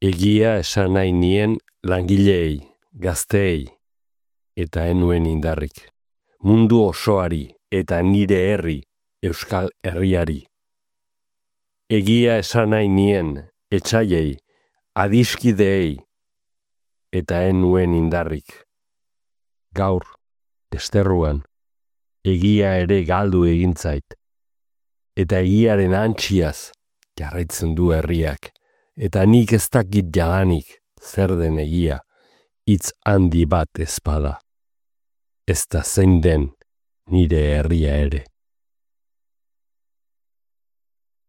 Egia esan nahi nien langileei, gazteei, eta enuen indarrik. Mundu osoari eta nire herri, Euskal Herriari. Egia esan nahi nien etsaiei, adiskideei, eta enuen indarrik. Gaur, desterruan, egia ere galdu egin zait. Eta egiaren antxiaz jarraitzen du herriak. Eta nik ez dakit jadanik zer den egia, hitz handi bat ezpada. Ez da zein den nire herria ere.